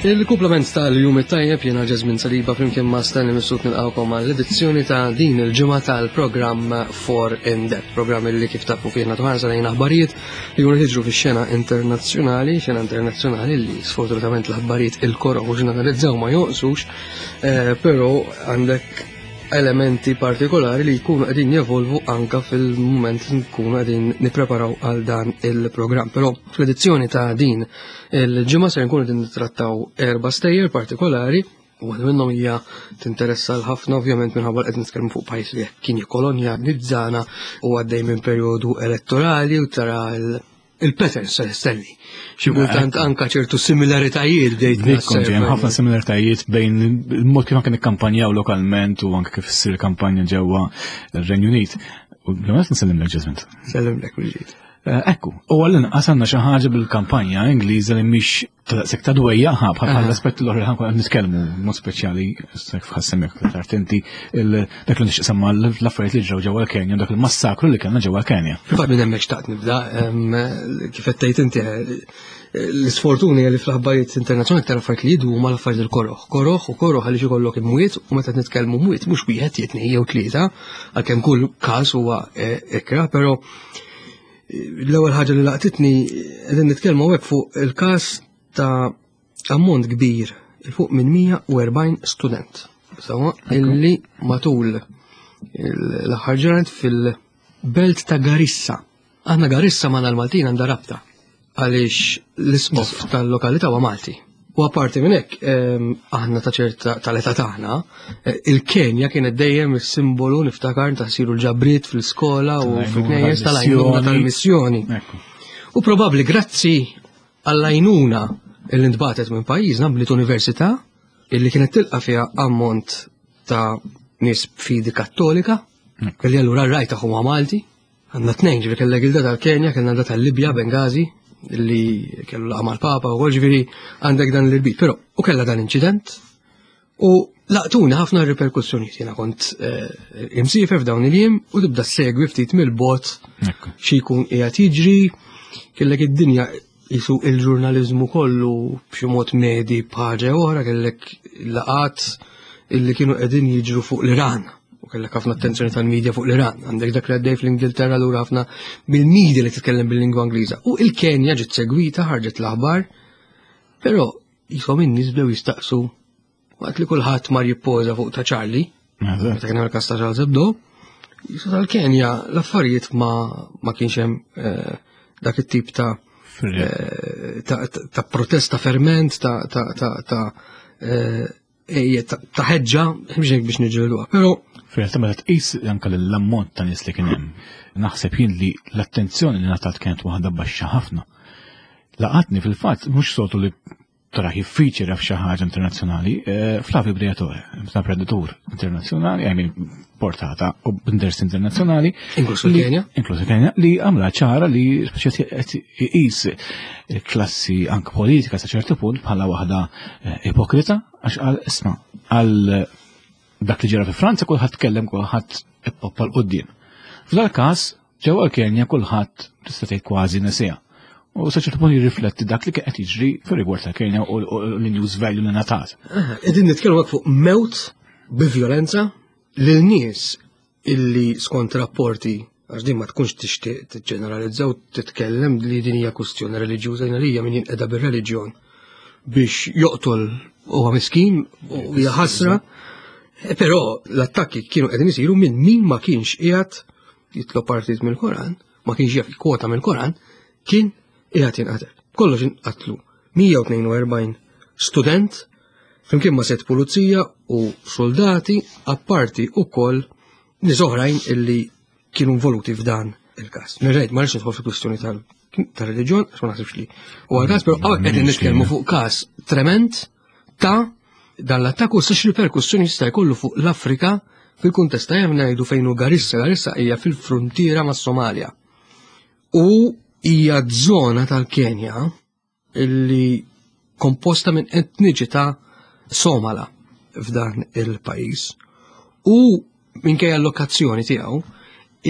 Il-kumplament tal-jum it-tajjeb jiena Ġeżmin Saliba flimkien ma' Stanley Missut nilqawkom għall-edizzjoni ta' din il-ġimgħa tal-programm For In Depth, programm li kif tafu fih nagħtu ħarsa lejn aħbarijiet li jkunu jiġru fix-xena internazzjonali, xena internazzjonali li sfortunatament l-aħbarijiet il-koroħ u ġeneralizzaw ma jonqsux, eh, però għandek elementi partikolari li jkunu qegħdin jevolvu anka fil-mument li nkunu qegħdin nippreparaw għal dan il-programm. Però fl-edizzjoni ta' din il-ġimgħa se nkunu qegħdin nittrattaw erba' stejjer partikolari u waħda minnhom hija tinteressa l-ħafna ovvjament minħabba qed nitkellmu fuq pajjiż li kien jikkolonja nizzana u għaddej minn perjodu elettorali u tara il-patterns se nistenni. Xi kultant anka ċertu similaritajiet bdejt naħseb. Hemm ħafna similaritajiet bejn il-mod kif anke nikkampanjaw lokalment u anke kif issir kampanja ġewwa r-Renju Unit. U l-għamet nsellimlek ġeżment. Sellimlek mill-ġid. Eh, ekku, u għall-inqas għandna xi ħaġa bil-kampanja Ingliża li mhix ta' ta' dwejja ħab bħal l-aspett l-oħra ħankun qed nitkellmu mod speċjali kif ħassemmek aktar inti dak li nixtieq semma l-affarijiet li ġraw ġewwa l-Kenja dak il-massakru li kellna ġewwa l-Kenja. Fil-fatt minn hemmhekk xtaqt nibda kif qed tgħid inti l-isfortuni li fl-aħbarijiet internazzjonali aktar affarijiet li jidhu huma l-affarijiet il-koroħ. Koroħ u koroħ għaliex ikollok imwiet u meta nitkellmu mwiet mhux wieħed jitnej jew tlieta għalkemm kull każ huwa eh, ikra, però L-ewwel ħaġa li laqtitni qegħdin nitkellmu hawnhekk fuq il-każ ta' ammont kbir il fuq minn 140 student. Sawa illi matul l-aħħar ġranet fil-belt ta' Garissa. Aħna Garissa ma' l-Maltin għandha rabta għaliex l-isqof tal-lokalità huwa Malti. U apparti minn hekk, ehm, aħna ta' ċerta tal-età tagħna, eh, il-Kenja kienet dejjem is-simbolu niftakar ta' siru l-ġabriet fl-iskola u fil-knejjes tal-għajnuna tal-missjoni. U probabbli grazzi għall-għajnuna li ntbatet minn pajjiżna bniet università illi kienet tilqa' fiha ammont ta' nies b'fidi kattolika, kelli allura r-rajta huma Malti, Għandna tnejn, ġifieri kellek il-da tal-Kenja, kellna da tal-Libja, Bengazi, li kellu laqa mal-Papa u ġifieri għandek dan l-irbit. Però u kellha dan inċident u laqtuni ħafna riperkussjonijiet. Jiena kont eh, imsiefer f'dawn il-jiem u tibda segwi ftit mill-bot xi jkun qiegħed jiġri, kellek id-dinja jisu il-ġurnalizmu kollu b'xi mod medi b'ħaġa oħra kellek laqat illi kienu qegħdin jiġru fuq l-Iran u kellek ħafna attenzjoni tal-medja fuq l-Iran. Għandek dak li għaddej fl-Ingilterra lura ħafna mill-media li titkellem bil-lingwa Ingliża. U il-Kenja ġiet segwita ħarġet l-aħbar, però jisom in-nies bdew jistaqsu Waqt li kulħadd mar jippoża fuq ta' Charlie, meta kien hemm il-każ ta' Charles Hebdo, jisu tal-Kenja l-affarijiet ma, ma kienx hemm eh, dak it-tip ta' eh, ta', ta protesta ferment, ta' ta' ta' ta' eh, ta' ħeġġa, biex biex niġġielduha. Però Fil-realtà meta tqis anke l-ammont ta' nies li kien hemm, naħseb jien li l-attenzjoni li ngħatat kienet waħda baxxa ħafna. Laqatni fil-fatt mhux soltu li tara jiffeature f'xi ħaġa internazzjonali, eh, Flavio Briatore, ta' preditur internazzjonali, I mean, portata u b'interess internazzjonali. Inkluż il-Kenja. Inkluż il-Kenja, li għamla ċara li speċi qed iqis klassi anke politika sa ċertu punt bħala waħda eh, ipokrita, għax għal isma' għal dak li ġara fi Franza kulħadd tkellem kulħadd ippoppa l-qudiem. F'dal każ Ġewwa l-Kenja kulħadd tista' tgħid kważi nesiha. U sa ċertu punt jirrifletti dak li kien qed jiġri fir-rigward tal-Kenja u l-news value li ngħatat. Qegħdin nitkellmu fuq mewt bi vjolenza lil nies illi skont rapporti għax din ma tkunx tixtieq tiġġeneralizza u titkellem li din hija kwistjoni reliġjuża jiena lija min jinqeda bir-reliġjon biex joqtol huwa miskin u hija ħasra. Però l-attakki kienu qegħdin isiru minn min ma kienx qiegħed jitlob partit mill-Koran, ma kienx jaf kwota mill-Koran, kien qiegħed jinqatel. Kollox inqatlu 142 student flimkien ma' set pulizija u soldati apparti ukoll nies oħrajn illi kienu involuti f'dan il-każ. Nerġajt ma rridx nidħol fil-kwistjoni tal-reliġjon, għax ma naħsibx li. U għal-każ, però hawnhekk qegħdin nitkellmu fuq każ trement ta' dan l-attakk u s riperkussjoni jista' jkollu fuq l-Afrika fil-kuntest ta' hemm ngħidu fejn hu Garissa, Garissa hija fil-fruntiera mas-Somalja. U hija żona tal-Kenja illi komposta minn etniċità Somala f'dan il-pajjiż. U minkejja l-lokazzjoni tiegħu,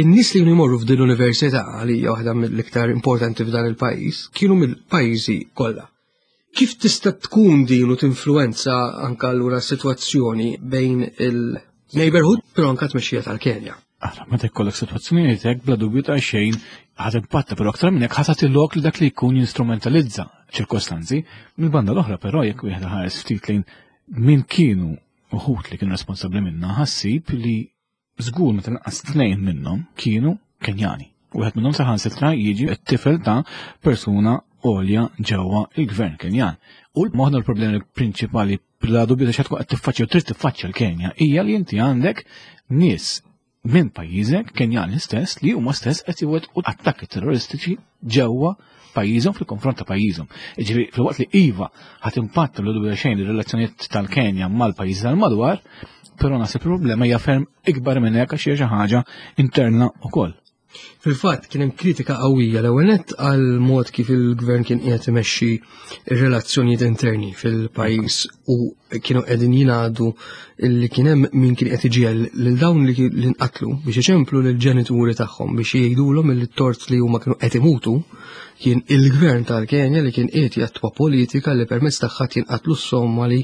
in-nies li jmorru f'din l-università li hija waħda mill-iktar importanti f'dan il-pajjiż kienu mill-pajjiżi kollha. Kif tista' tkun din u tinfluwenza anka allura s-sitwazzjoni bejn il-neighborhood però anka tmexxija tal-Kenja? Ara, meta jkollok sitwazzjonijiet hekk bla dubju ta' xejn ħadd impatta, però aktar minn hekk ħadd lok li dak li jkun jinstrumentalizza ċirkostanzi. Mill-banda l-oħra però jekk wieħed ħares ftit lejn min kienu uħut li kienu responsabbli minna, ħassib li żgur meta lanqas tnejn minnhom kienu Kenjani. Wieħed minnhom saħansitra jiġi t-tifel ta' persuna għolja ġewwa il-gvern Kenjan. U l-moħna l-problemi prinċipali bla dubju ta' tkun qed tiffaċċja u trid tiffaċċja l-Kenja hija li inti għandek nies minn pajjiżek Kenjani stess li huma stess qed iwettqu attakki terroristiċi ġewwa pajjiżhom fil-konfront ta' pajjiżhom. Jiġifieri filwaqt li iva ħadd impatt l dubju xejn ir-relazzjonijiet tal-Kenja mal-pajjiżi tal-madwar, però naħseb il-problema hija ferm ikbar minn hekk għax hija xi ħaġa interna wkoll. Fil-fatt kien hemm kritika qawwija l-ewwel nett għal mod kif il-gvern kien qiegħed imexxi r-relazzjonijiet interni fil-pajjiż u kienu qegħdin jingħadu li kien hemm min kien qed iġiegħel lil dawn li nqatlu biex iċemplu lil ġenituri tagħhom biex jgħidulhom li t-tort li huma kienu qed imutu kien il-gvern tal-Kenja li kien qiegħed jattwa politika li permezz tagħha jinqatlu s-Somali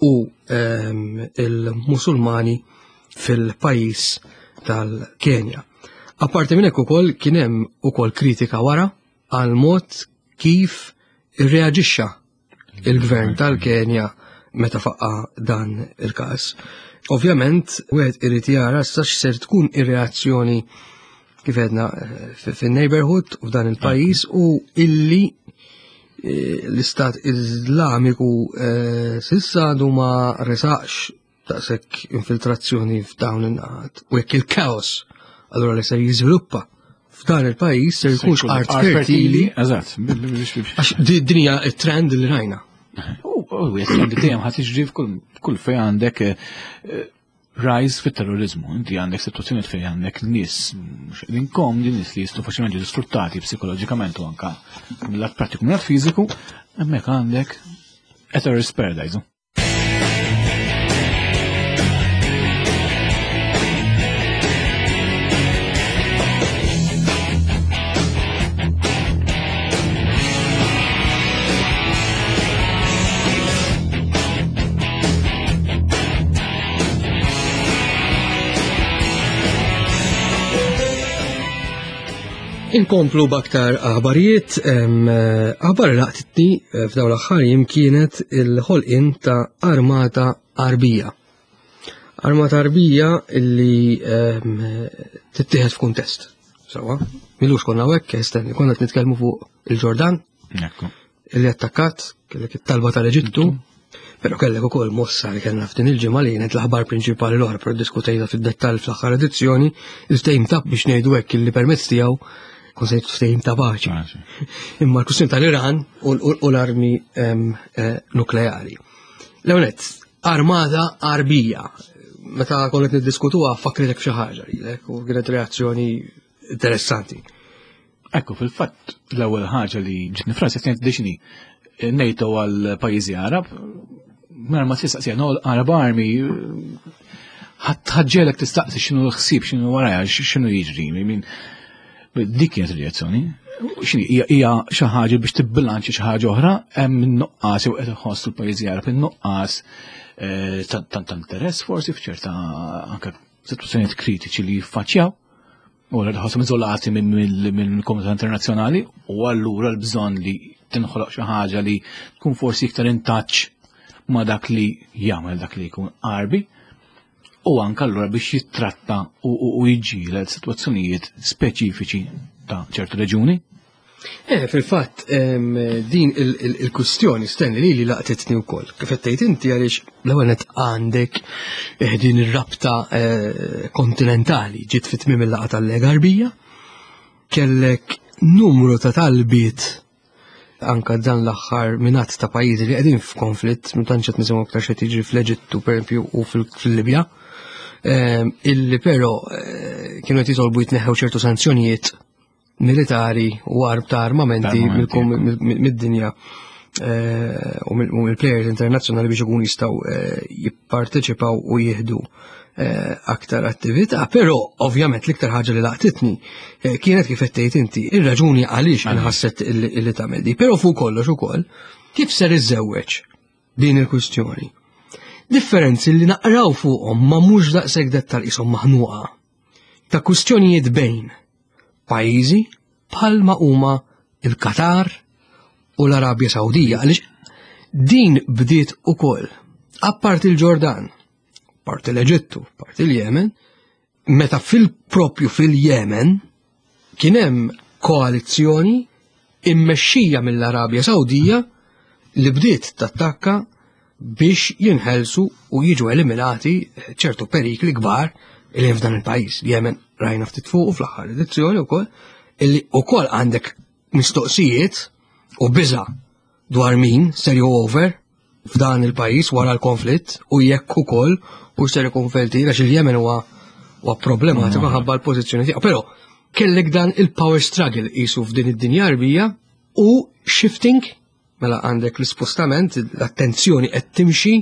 u ehm, il-Musulmani fil-pajjiż tal-Kenja. Apparti minn hekk ukoll kien hemm ukoll kritika wara għal mod kif irreaġixxa il-gvern tal-Kenja meta faqqa dan il-każ. Ovvjament, wieħed irid jara sa x'ser tkun ir-reazzjoni kif għedna eh, fin-neighborhood u f'dan il-pajjiż u illi eh, l-Istat Iżlamiku eh, sissa għadu ma resaqx daqshekk infiltrazzjoni f'dawn in-naħat u jekk il-kaos allura li se jiżviluppa f'dan il-pajjiż se jkunx art fertili. Eżatt. Għax din hija t-trend li rajna. U trend dejjem ħadd jiġri f'kull fejn għandek eh, rise fit-terrorizmu. Inti għandek situazzjoni fejn għandek nies mhux qegħdin komdi, nies li jistgħu faċilment jiġu sfruttati psikoloġikament u anka mill-att pratiku mill-att fiżiku, hemmhekk għandek a terrorist paradise. Inkomplu b'aktar aħbarijiet, aħbar laqtitni eh, f'dawn l-aħħar jiem kienet il-ħolqien ta' armata Arbija. Armata Arbija illi tittieħed f'kuntest. Sawa, milux konna hekk, stenni, konna qed nitkellmu fuq il-Ġordan. Illi attakkat, kellek it-talba tal-Eġittu, però kellek ukoll mossa li kellna f'din il-ġimgħa li kienet l-aħbar prinċipali l-oħra, però diskutejna fid-dettall fl-aħħar edizzjoni, il-ftehim ta' biex ngħidu hekk illi permezz tiegħu kun se ftehim ta' paċi. Imma l-kwistjoni tal-Iran u l-armi eh, nukleari. Leonet, armata arbija. Meta konna qed niddiskutuha fakritek f'xi ħaġa lilek u kienet reazzjoni interessanti. Ekku, fil-fatt, l-ewwel ħaġa li ġitni frasi kienet diċni NATO għal pajjiżi Arab, mara ma tistaqsi no Arab Army, ħaġġelek tistaqsi x'inhu l-ħsieb, x'inhu waraja, x'inhu jiġri, min dik kienet reazzjoni. X'inhi hija xi ħaġa biex tibbilanċi xi ħaġa oħra hemm in-nuqqas jew qed iħossu l-pajjiżi Arab in-nuqqas eh, ta' interess forsi f'ċerta anke sitwazzjonijiet kritiċi li jiffaċċjaw. U għallura ħossom iżolati mill-komunità internazzjonali u allura l-bżonn li tinħoloq xi ħaġa li tkun forsi iktar in touch ma' dak li jagħmel dak li jkun qarbi u anke allura biex jittratta u jiġġieled sitwazzjonijiet speċifiċi ta' ċertu reġuni. Eh, fil-fatt, din il-kustjoni stenni li li laqtitni wkoll. Kif qed tgħid inti għaliex l-ewwel qed għandek eh, din ir-rabta eh, kontinentali ġiet fit-tmiem il-laqgħa tal-Lega Arbija, kellek numru ta' talbiet anka dan l-aħħar minat ta' pajjiżi li qegħdin f'konflitt, ma tantx qed nisimgħu aktar xi jiġri fl-Eġittu pereżempju u fil-Libja, illi però kienu qed jitolbu jitneħħew ċertu sanzjonijiet militari u arb ta' armamenti mid-dinja eh, u mill-players internazzjonali biex ikun jistgħu eh, jipparteċipaw u jieħdu eh, aktar attività, però ovvjament l-iktar ħaġa li laqtitni kienet kif qed tgħid inti ir-raġuni għaliex inħasset li tagħmel di, però fuq kollox ukoll. Kif ser iżżewweġ din il-kwistjoni? Differenzi li naqraw fuqhom ma mhux daqshekk dettal qishom maħnuqa ta' kwistjonijiet bejn pajjiżi bħalma huma il-Qatar u l-Arabja Sawdija għaliex din bdiet ukoll apparti l-Ġordan, parti l-Eġittu, parti l-Jemen, meta fil-propju fil-Jemen kien hemm koalizzjoni immexxija mill-Arabja Sawdija li bdiet tattakka biex jinħelsu u jiġu eliminati ċertu perikli kbar li hemm f'dan il-pajjiż. Jemen rajna ftit fuq fl-aħħar edizzjoni wkoll illi wkoll għandek mistoqsijiet u biża' dwar min ser over f'dan il-pajjiż wara l-konflitt u jekk ukoll u ser ikun felti għax il-Jemen huwa huwa problematiku ħabba l-pożizzjoni tiegħu. Però kellek dan il-power struggle qisu f'din id-dinja Arbija u shifting mela għandek l-ispostament, l-attenzjoni qed timxi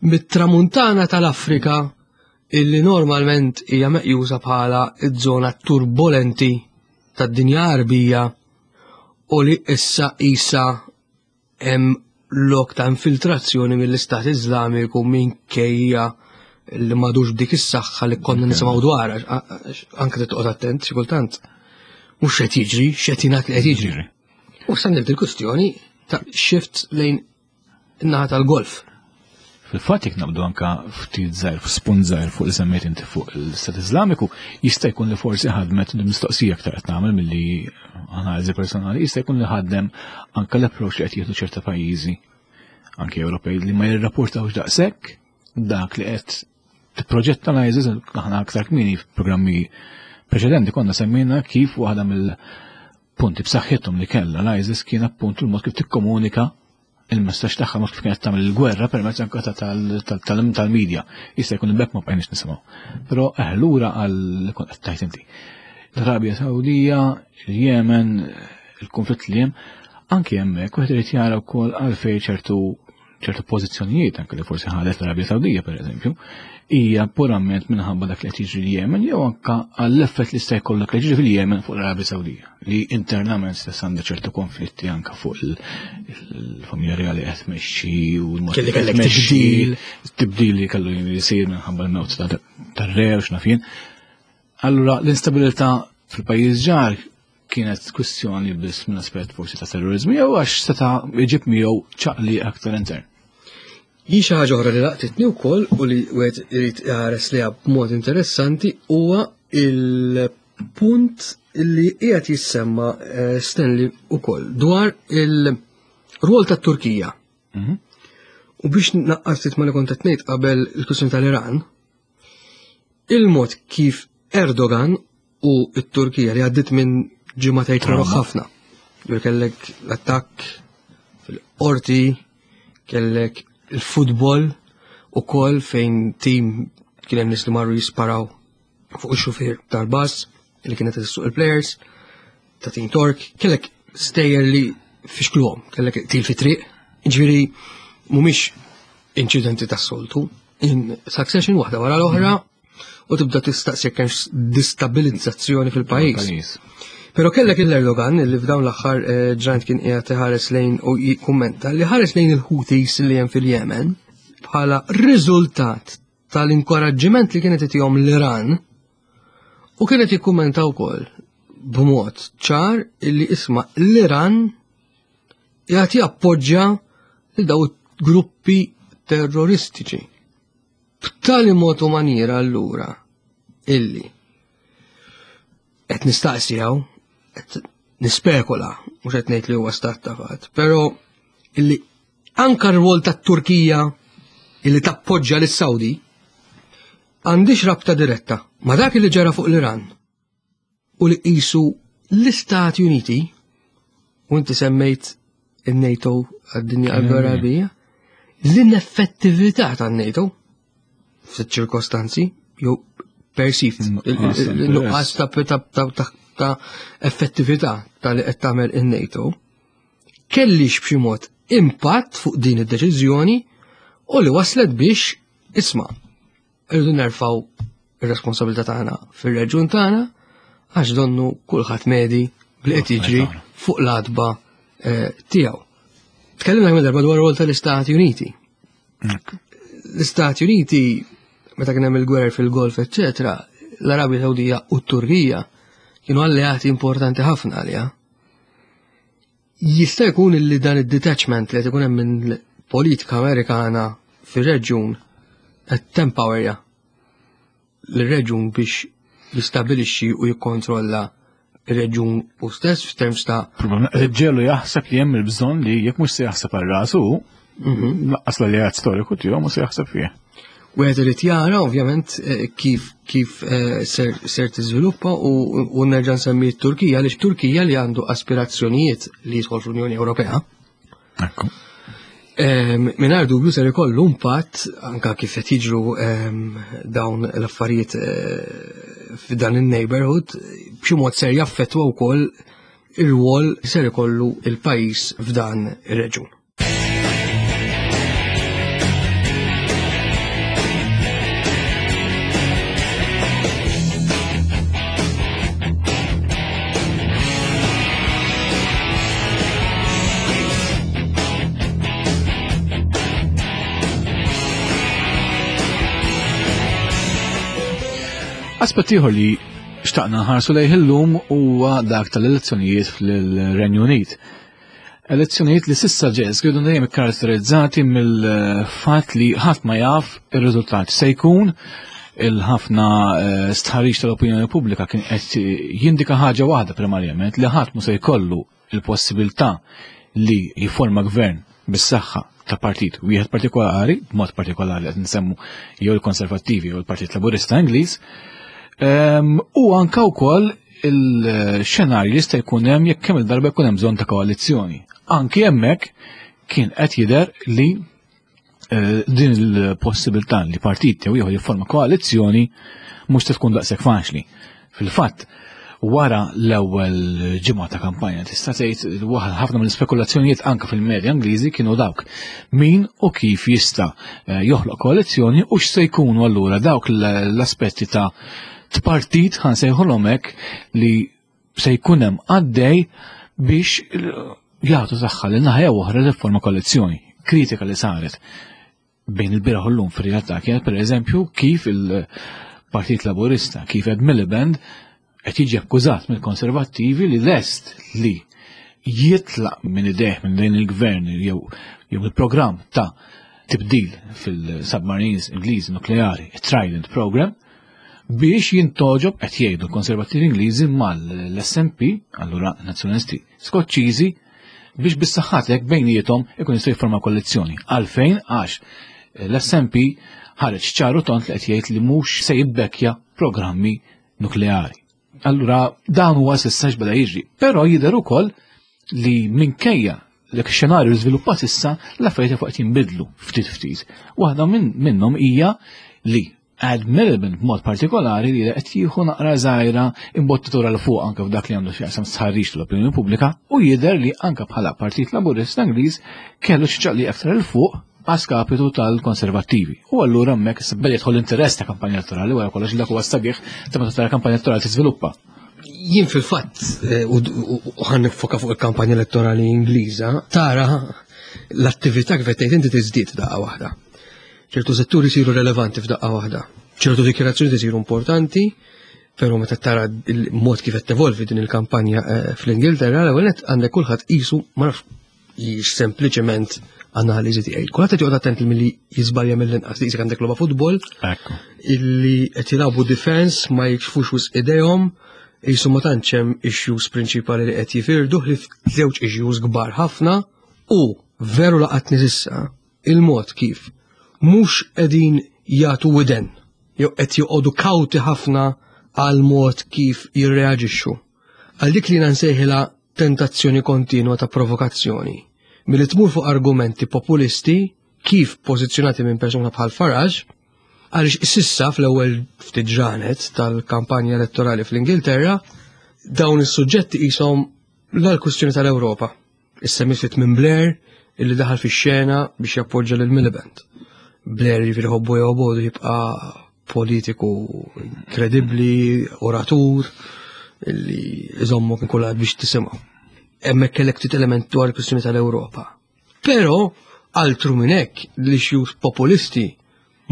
mit-tramuntana tal-Afrika illi normalment hija meqjusa bħala ż-żona turbolenti tad-dinja Arbija u li issa isa hemm lok ta' infiltrazzjoni mill-Istat Iżlamiku minkejja li madux b'dik is-saħħa li konna nisimgħu dwar, anke titqgħod attent xi kultant. Mhux qed jiġri, x'qed jingħad li qed jiġri. U sandil il-kwistjoni ta' shift lejn in-naħa tal-golf. Fil-fatt jekk naqbdu anka ftit żgħir, spunt żgħir fuq li semmejt inti fuq l-Istat Iżlamiku, jista' jkun li forsi ħadmet mistoqsija aktar qed nagħmel milli analiżi personali, jista' jkun li ħadem anka l-approach li qed jieħdu ċerta pajjiżi anke Ewropej li ma jirrapportawx daqshekk dak li qed tipproġetta l-ISIS aħna aktar kmieni f'programmi preċedenti konna semmejna kif waħda mill-punti b'saħħithom li kellha l-ISIS kien appuntu l-mod kif tikkomunika il-messaġġ tagħha mod kif kienet tagħmel il-gwerra permezz anke tal-media. Jista' jkun bekk ma bqajniex nisimgħu. Però eh, lura għal kont qed tajt inti. L-Arabja Sawdija, il-Yemen, il-konflitt li hemm, anke hemmhekk wieħed irid jara wkoll għalfejn ċertu ċertu pożizzjonijiet anke li forsi ħadet l-Arabja Sawdija pereżempju, hija purament minħabba dak li qed jiġri l-Yemen jew anke għall-effett li jista' jkollok li jiġri fil-Yemen fuq l-Arabja Sawdija li internament stess għandha ċertu konflitti anke fuq il-familja reali qed tmexxi u l-mod Kelli kellek tibdil. Tibdil li kellu jsir minħabba l-mewt tar-re u x'naf jien. Allura l-instabilità fil-pajjiż ġar kienet kwistjoni biss minn aspett forsi ta' terrorizmu jew għax seta' jġib miegħu ċaqli aktar intern. Hi xi ħaġa oħra li laqtitni wkoll u li wieħed irid iħares liha b'mod interessanti huwa il-punt li qiegħed jissemma eh, Stanley ukoll dwar il-rwol tat-Turkija. Mhm. U biex naqqas ftit ma li kont qed ngħid qabel il-kwistjoni tal-Iran, il-mod kif Erdogan u t-Turkija li għaddit minn ġimgħatejn koroħ ħafna. Ġifieri kellek l-attakk fil-qorti, kellek il-futbol ukoll fejn tim kien hemm nies li marru jisparaw fuq ix-xufier tal-bus li kienet issuq il-players ta' tim Tork, kellek stejjer li fixkluhom, kellek til fi triq, ġifieri mhumiex inċidenti tas-soltu, in succession waħda wara l-oħra u tibda tistaqsi jekk hemmx distabilizzazzjoni fil-pajjiż. Però kellek il-Erdogan li f'dawn l-aħħar eh, ġrant kien qiegħed iħares lejn u jikkummenta li ħares lejn il-Houthis li hemm fil-Yemen bħala riżultat tal-inkoraġġiment li kienet itihom l-Iran u kienet jikkummenta wkoll b'mod ċar illi isma' l-Iran jagħti appoġġja lil daw gruppi terroristiċi. B'tali mod u maniera allura illi qed nistaqsi hawn, qed nispekula, mhux qed ngħid li huwa stat ta' fatt, però illi anka r-rwol tat-Turkija illi tappoġġja lis-Sawdi għandix rabta diretta ma' dak li ġara fuq l-Iran u li qisu l-Istati Uniti u inti semmejt il-NATO għad-dinja Arabija, l-ineffettività tan-NATO f'sitt ċirkostanzi jew perceived il-nuqqas ta' effettività ta' li qed tagħmel in-NATO kellix b'xi mod impatt fuq din id-deċiżjoni u li waslet biex isma' Irridu nerfgħu ir-responsabilità tagħna fir-reġjun tagħna għax donnu kulħadd medi bli qed jiġri fuq l-adba eh, tiegħu. Tkellimna kemm darba dwar rol tal-Istati Uniti. L-Istati Uniti, meta kien hemm il-gwerer fil-Golf, eċċetera, l-Arabja Sawdija u t-Turkija kienu alleati importanti ħafna għaliha. Jista' jkun li dan id-detachment li qed ikun hemm minn politika Amerikana fir-reġjun qed tempowerja lir-reġjun biex jistabilixxi u jikkontrolla ir-reġjun u stess f'terms ta' Ġelu jaħseb li hemm il-bżonn li jekk mhux se jaħseb għal rasu, mhm. laqqas l-alleat storiku tiegħu mhux se jaħseb fih. Wieħed irid jara ovvjament eh, kif kif eh, ser, ser tiżviluppa u nerġa' nsemmi t-Turkija għaliex Turkija li għandu aspirazzjonijiet li jidħol fl-Unjoni Ewropea. Ekku. Mingħajr dubju ser ikollu impatt anka kif qed jiġru dawn l-affarijiet eh, f'dan in-neighborhood b'xi mod ser jaffettwa wkoll ir-rwol ser ikollu il-pajjiż f'dan ir-reġun. Aspett ieħor li xtaqna nħarsu lejh illum huwa dak tal-elezzjonijiet fil-Renju Unit. Elezzjonijiet li sissa ġeż kienu dejjem ikkaratterizzati mill-fatt li ħadd ma jaf ir-riżultat se jkun il-ħafna eh, stħarriġ tal-opinjoni pubblika kien qed jindika ħaġa waħda primarjament li ħadd mu se jkollu il-possibilità li jiforma gvern bis-saħħa ta' partit wieħed partikolari, b'mod partikolari qed nsemmu jew il-Konservattivi jew il-Partit Laburista Ingliż, ehm, u anka wkoll il-xenarju li jista' jkun hemm jekk kemm il-darba jkun hemm bżonn ta' koalizzjoni. Anki hemmhekk kien qed jidher li eh, din il-possibilità li partit jew ieħor jifforma koalizzjoni mhux se tkun daqshekk faċli. Fil-fatt, wara l-ewwel ġimgħa ta' kampanja tista' tgħid ħafna mill-ispekulazzjonijiet anke fil-medja Ingliżi kienu dawk min u kif jista' eh, joħloq koalizzjoni u x'se jkunu allura dawk l-aspetti ta' tpartit ħan sejħulhom hekk li se jkun hemm għaddej biex jagħtu saħħa lil naħa jew oħra li forma koalizzjoni. Kritika li saret bejn il-bieraħ u llum fir-realtà kienet pereżempju kif il-Partit Laburista, kif Ed Miliband qed jiġi akkużat mill-Konservattivi li lest li jitlaq minn idejh minn dejn il-gvern jew jew il-programm ta' tibdil fil-submarines Ingliżi nukleari, Trident Program, biex jintoġob qed jgħidu l-Konservattivi Ingliżi mal-SNP, allura Nazzjonalisti Skoċċiżi, biex bis-saħħatek bejniethom ikun jistgħu jiffurmaw koalizzjoni. Għalfejn għax l-SNP ħareġ ċaru tont li qed jgħid li mhux se jibbekkja programmi nukleari. Allura dan huwa s'issa x'beda jiġri. Però jidher ukoll li minkejja l xenarju li żviluppat issa l-affarijiet fuq qed jinbidlu ftit ftit. Waħda minnhom hija li Ed Miliband b'mod partikolari li qed jieħu naqra żgħira imbottatura l fuq anke f'dak li għandu x'jaqsam stħarriġ tal-opinjoni pubblika u jidher li anke bħala Partit Laburista Ingliż kellu xi ċaqliq aktar 'il fuq għaskapitu tal-konservattivi. U allura hemmhekk issa beda jidħol interess ta' kampanja elettorali wara kollox dak huwa sabiħ ta' meta tara kampanja elettorali tiżviluppa. Jien fil-fatt eh, u ħan nifoka fuq il-kampanja elettorali Ingliża, tara l-attività kif qed tgħid inti tiżdied daqqa waħda. ċertu setturi jsiru relevanti f'daqqa waħda. ċertu dikjarazzjoni jsiru importanti, però meta tara il-mod kif qed tevolvi din il-kampanja eh, fl-Ingilterra, l-ewwel nett għandek kulħadd qisu ma nafx jiex sempliċement analiżi tiegħi. Kulħadd qed joqgħod attent milli jiżbalja mill-inqas li qisek għandek logħba futbol illi qed jilagħbu defense ma jikxfux wisq idejhom qisu ma tantx hemm issues prinċipali li qed jifirdu ħlief żewġ issues kbar ħafna u veru laqatni s'issa il-mod kif mhux qegħdin jagħtu widen jew qed joqogħdu kawti ħafna għal mod kif jirreaġixxu. Għal dik li jiena nsejħilha tentazzjoni kontinwa ta' provokazzjoni. Milli tmur fuq argumenti populisti kif pożizzjonati minn persuna bħal Farage, għaliex sissa fl-ewwel ftit ġranet tal-kampanja elettorali fl-Ingilterra, dawn is-suġġetti qishom l-kwistjoni tal-Ewropa. Issemmiet minn Blair illi daħal fix-xena biex jappoġġa lil Miliband. Blair jiġifieri ħobbu jew bodu jibqa' politiku kredibbli, oratur, illi iżommok kulħadd biex tisimgħu. Hemmhekk kellek ftit element dwar il-kwistjoni tal-Ewropa. Però altru minn hekk l-issues populisti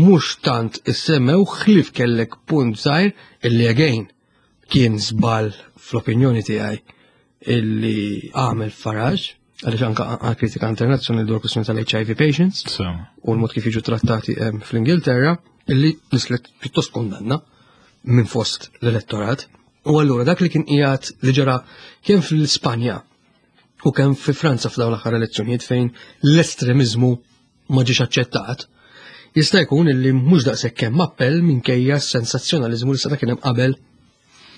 mhux tant issemmew ħlief kellek punt żgħir illi again kien żball fl-opinjoni tiegħi illi għamel Farage għaliex anka għal kritika internazzjonali dwar kwistjoni tal-HIV patients u l-mod kif jiġu trattati fl-Ingilterra illi nislet pjuttost kondanna minn fost l-elettorat. U allura dak li kien qiegħed li ġara kemm fl-Ispanja u kemm fi Franza f'dawn l-aħħar elezzjonijiet fejn l-estremiżmu ma ġiex aċċettat, jista' jkun illi mhux daqshekk hemm appell minkejja s-sensazzjonaliżmu li seta' kien hemm qabel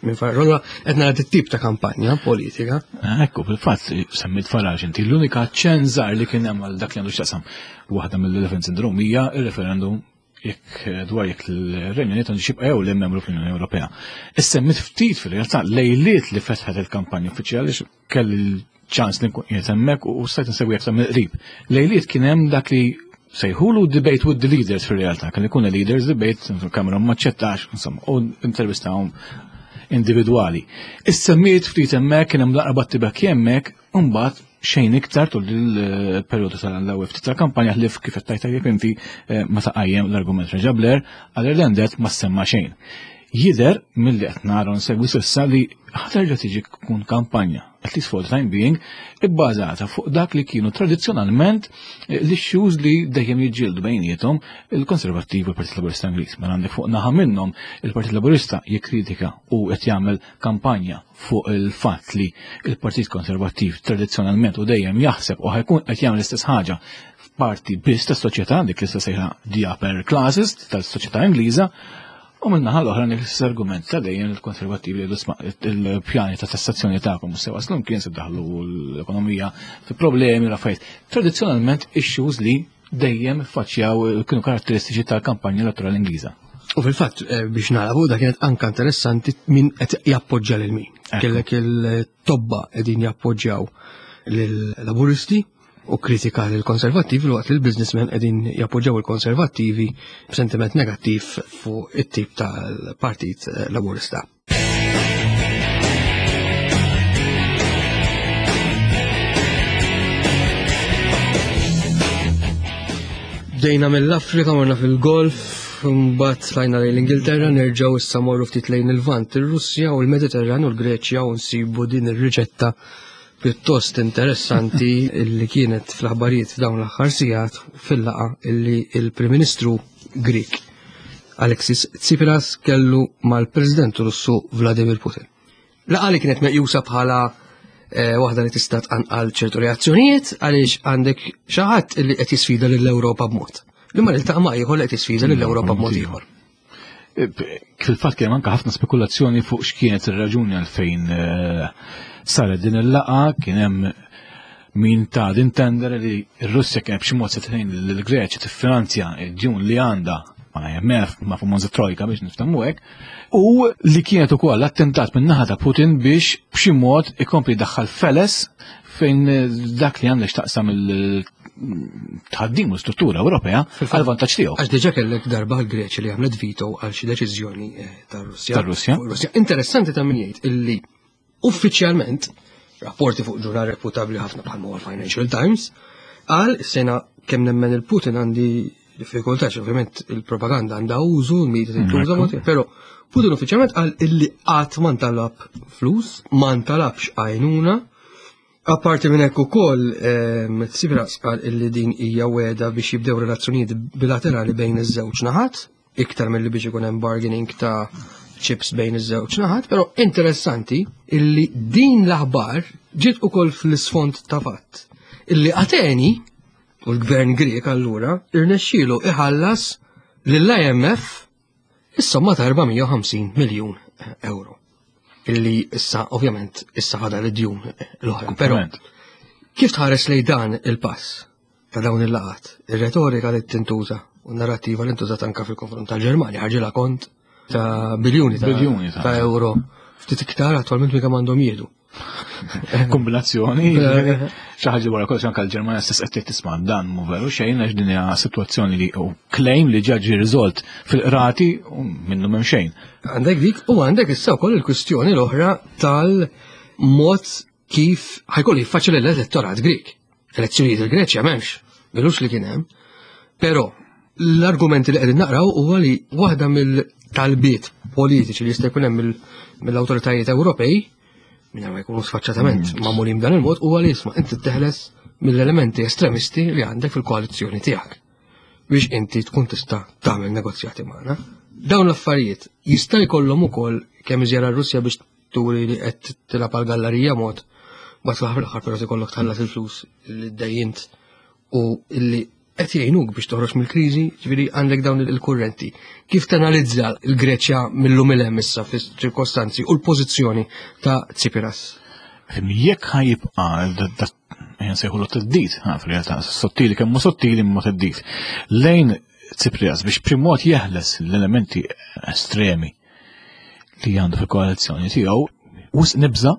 minn Farage. Allura qed nara tip ta' kampanja politika. Ekku, fil-fatt semmit Farage inti l-unika ċenżar li kien hemm għal dak li għandu x'taqsam waħda mill-Elephant Syndrome hija ir-referendum jekk eh, dwar jekk il-Renju Unit għandu xibqa' jew le membru fl-Unjoni Ewropea. Issemmit ftit fil-realtà lejliet li fetħet il-kampanja uffiċjali kelli ċans li nkun qiegħed hemmhekk u stajt insegwi aktar mill-qrib. Lejliet kien hemm dak li sejħulu debate with the leaders fil-realtà, kien ikun leaders debate, Cameron ma ċettax, insomma, u intervistahom individwali. Issemmiet ftit hemmhekk kien hemm laqra battibek hemmhekk, u mbagħad xejn iktar tul il-perjodu tal-ewwel ftit tal-kampanja ħlief kif qed tajt tajjeb inti eh, meta qajjem l-argument Reġa Blair għal Irlandet ma semma xejn. Jidher milli qed nara nsegwi s'issa li ħaterġa' tiġi tkun kampanja, at least for the time being, ibbażata fuq dak li kienu tradizzjonalment eh, l-issues li dejjem jiġġieldu bejniethom il-Konservattivi u l-Partit Laburista Ingliż. Mela għandek fuq naħa minnhom il-Partit Laburista jikkritika u qed jagħmel kampanja fuq il-fatt li il-Partit Konservattiv tradizzjonalment u dejjem jaħseb u ħajkun qed jagħmel l-istess ħaġa f'parti biss tas-soċjetà dik li sejħa the upper classes tas-soċjetà Ingliża u minnaħa l-oħra dik l-istess argument ta' dejjem il-konservattivi li jgħidu il-pjani ta' tassazzjoni tagħkom mhux se waslu mkien se daħlu l-ekonomija fi problemi u affarijiet. Tradizzjonalment issues li dejjem faċċjaw kienu karatteristiċi tal-kampanja elettorali Ingliża. U fil-fatt eh, biex narabu da kienet anka interessanti min qed jappoġġja lil min. Kellek il-tobba qegħdin jappoġġjaw lill-Laburisti u kritika lill konservattivi waqt li l-businessmen qegħdin jappoġġjaw il-konservattivi b'sentiment negattiv fuq it-tip tal-Partit Laburista. Bdejna mill-Afrika, morna fil-Golf, mbagħad tlajna lejn l-Ingilterra, nerġgħu issa morru ftit lejn il-Vant, ir-Russja u l-Mediterran u l-Greċja u nsibu din ir-riċetta pjuttost interessanti illi kienet fl-aħbarijiet f'dawn l-aħħar sigħat fil-laqa illi il-Prim Ministru Grik Alexis Tsipras kellu mal-President Russu Vladimir Putin. Laqa li kienet meqjusa bħala eh, waħda li tista' tqanqal ċertu reazzjonijiet għaliex għandek xi ħadd li qed jisfida lill-Ewropa b'mod. Li ma niltaqa' ma' ieħor li qed jisfida lill-Ewropa b'mod ieħor. Fil-fatt kien anke ħafna spekulazzjoni fuq x'kienet ir-raġuni għalfejn eh, saret din il-laqa, kien hemm min ta' din tender li r-Russja kien b'xi mod se tgħin lill-Greċja tiffinanzja d-djun li għandha ma' IMF, ma' famuża trojka biex niftamu hekk, u li kienet ukoll attentat minn naħa ta' Putin biex b'xi mod ikompli daħħal feles fejn dak li għandek x'taqsam il tħaddim u struttura Ewropea għal vantaġġ tiegħu. Għax diġà kellek darba l-Greċja li għamlet veto għal xi deċiżjoni eh, tar-Russja. Tar-Russja. Russja. Interessanti ta' min jgħid illi uffiċjalment rapporti fuq ġurnal reputabli ħafna bħal huwa Financial Times qal sena kemm nemmen il-Putin għandi diffikultà ovvjament il-propaganda għandha użu, l-media tintuża, mm, però Putin uffiċjalment qal illi qatt ma ntalab flus, ma ntalabx għajnuna Apparti minn hekk ukoll ehm, Tsipras qal illi din hija weda biex jibdew relazzjonijiet bilaterali bejn iż-żewġ naħat, iktar milli biex ikun hemm bargaining ta' chips bejn iż-żewġ naħat, però interessanti illi din l-aħbar ġiet ukoll fl-isfond ta' fatt illi Ateni u l-gvern Grieg allura irnexxielu iħallas lill-IMF Is-somma ta' 450 miljun euro. Illi issa ovvjament issa fadal id-djun l-oħra. Però kif tħares lej dan il-pass ta' dawn il-laqat, ir-retorika li tintuża u n-narrativa li ntużat anka fil-konfront tal-Ġermanja ħarġilha kont ta' biljuni ta', ta euro ftit iktar attualment minn kemm għandhom jieħdu. Kombinazzjoni, xi ħaġa wara kollox anke l-Ġermanja stess qed tisma' dan mhu veru xejn għax din hija sitwazzjoni li u claim li ġa ġie riżolt fil-qrati u minnu m'hemm xejn. Għandek dik u għandek issa wkoll il-kwistjoni l-oħra tal-mod kif ħajkollu jiffaċċja l-elettorat Grik. Elezzjonijiet il-Greċja m'hemmx, milux li kien hemm. Però l-argumenti li qegħdin naqraw huwa li waħda mill-talbiet politiċi li jista' jkun hemm mill-awtoritajiet Ewropej minn ma jkunu sfaċċatament magħmulin b'dan il-mod huwa li jisma' inti teħles mill-elementi estremisti li għandek fil-koalizzjoni tiegħek biex inti tkun tista' tagħmel negozjati magħna. Dawn l-affarijiet jista' jkollhom ukoll kemm iżjara r-Russja biex turi li qed tilgħab għal gallerija mod bat fl-aħħar fl-aħħar però ikollok tħallas il-flus li ddejjint u illi qed jgħinuk biex toħroġ mill-kriżi, ġifieri għandek dawn il-kurrenti. Kif tanalizza l-Greċja mill-lum il hemm issa fis-ċirkostanzi u l-pożizzjoni ta' Tsipras? Jekk ħajibqa' nsejħulu teddid, fil-realtà, sottili kemm sottili imma teddid. Lejn Tsipras biex b'xi mod jeħles l-elementi estremi li għandu fil-koalizzjoni tiegħu, wisq nibża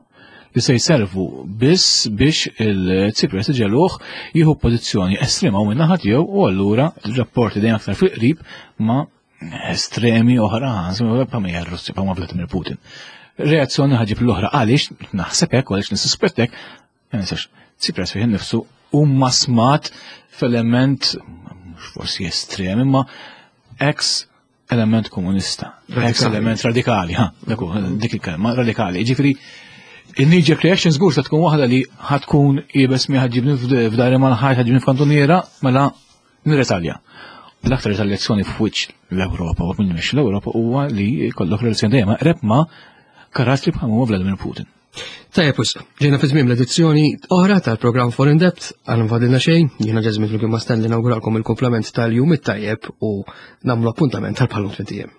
li se jservu biss biex il-Tsipras iġeluh jieħu pożizzjoni estrema u minnaħa tiegħu u allura rapporti dejjem aktar fil-qrib ma' estremi oħra, pa' ma Russja, pa' ma' Vladimir Putin. Reazzjoni ħaġib l-oħra għaliex naħseb hekk għaliex nissuspettek, ma nistax, Tsipras fih innifsu huma smat f'element mhux forsi estrem imma ex element komunista, ex element radikali, ha, dik il-kelma, radikali. Ġifieri, il-knee-jerk reaction żgur se tkun waħda li ħatkun ibes mi ħaġibni f'dari mal-ħajt, ħaġibni f'kantuniera, mela nirretalja. L-aktar retaljazzjoni f'wiċċ l-Ewropa u minn mhix l-Ewropa huwa li jkollok relazzjoni dejjem eqreb ma' karattri bħal huwa Vladimir Putin. Tajjeb wisq, ġejna fi tmiem l-edizzjoni oħra tal-programm Foreign Debt, għal nfadilna xejn, jiena Ġeżmin flimkien ma' Stanley nawguralkom il-komplement tal-jum it-tajjeb u nagħmlu appuntament tal-bħalum tmien ijiem.